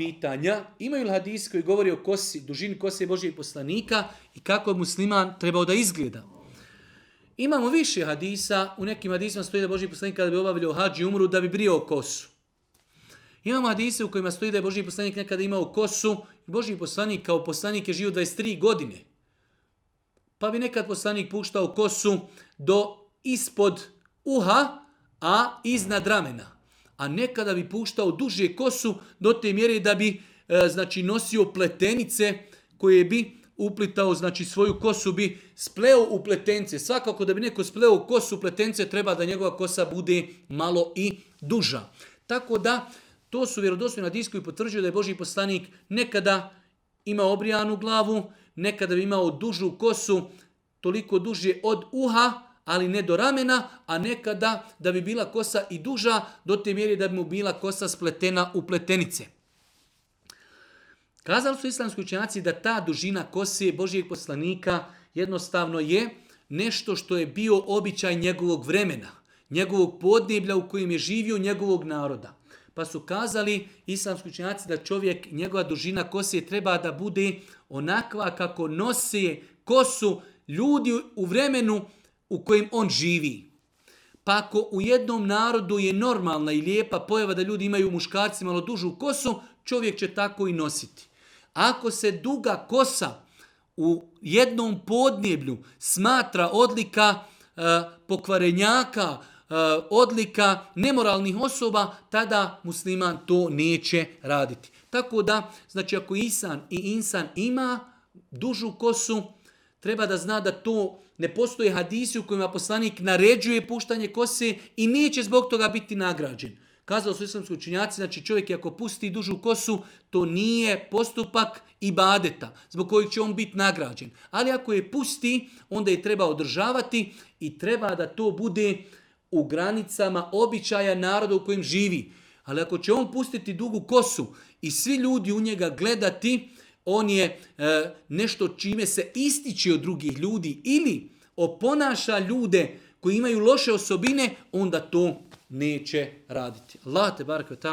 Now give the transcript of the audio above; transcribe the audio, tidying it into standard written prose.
pitanja. Imaju li hadisi koji govori o kosi, dužini kose Božijeg poslanika i kako je musliman trebao da izgleda? Imamo više hadisa. U nekim hadisima stoji da Božji poslanik kada bi obavljao hadž i umru da bi brijao kosu. Imamo hadise u kojima stoji da je Božji poslanik nekada imao kosu. Božji poslanik kao poslanik je živio 23 godine. Pa bi nekad poslanik puštao kosu do ispod uha, a iznad ramena. A nekada bi puštao duže kosu do te mjere da bi nosio pletenice koje bi uplitao, svoju kosu bi spleo u pletence. Svakako da bi neko spleo u kosu u pletence treba da njegova kosa bude malo i duža. Tako da to su vjerodostojni hadisi koji potvrđuju da je Božji poslanik nekada imao obrijanu glavu, nekada bi imao dužu kosu, toliko duže od uha, ali ne do ramena, a nekada da bi bila kosa i duža do te mjere da bi mu bila kosa spletena u pletenice. Kazali su islamski učenjaci da ta dužina kose Božijeg poslanika jednostavno je nešto što je bio običaj njegovog vremena, njegovog podneblja u kojem je živio, njegovog naroda. Pa su kazali islamski učenjaci da njegova dužina kose treba da bude onakva kako nose kosu ljudi u vremenu u kojem on živi. Pa ako u jednom narodu je normalna i lijepa pojava da ljudi imaju muškarci malo dužu kosu, čovjek će tako i nositi. Ako se duga kosa u jednom podneblju smatra odlika pokvarenjaka, odlika nemoralnih osoba, tada musliman to neće raditi. Tako da, ako insan ima dužu kosu, treba da zna da to ne postoje hadisi u kojima poslanik naređuje puštanje kose i neće zbog toga biti nagrađen. Kazali su islamski učenjaci, čovjek ako pusti dužu kosu, to nije postupak ibadeta zbog kojeg će on biti nagrađen. Ali ako je pusti, onda je treba održavati i treba da to bude u granicama običaja naroda u kojem živi. Ali ako će on pustiti dugu kosu i svi ljudi u njega gledati, on je nešto čime se ističe od drugih ljudi ili oponaša ljude koji imaju loše osobine, onda to neće raditi. Allah te barek ve taala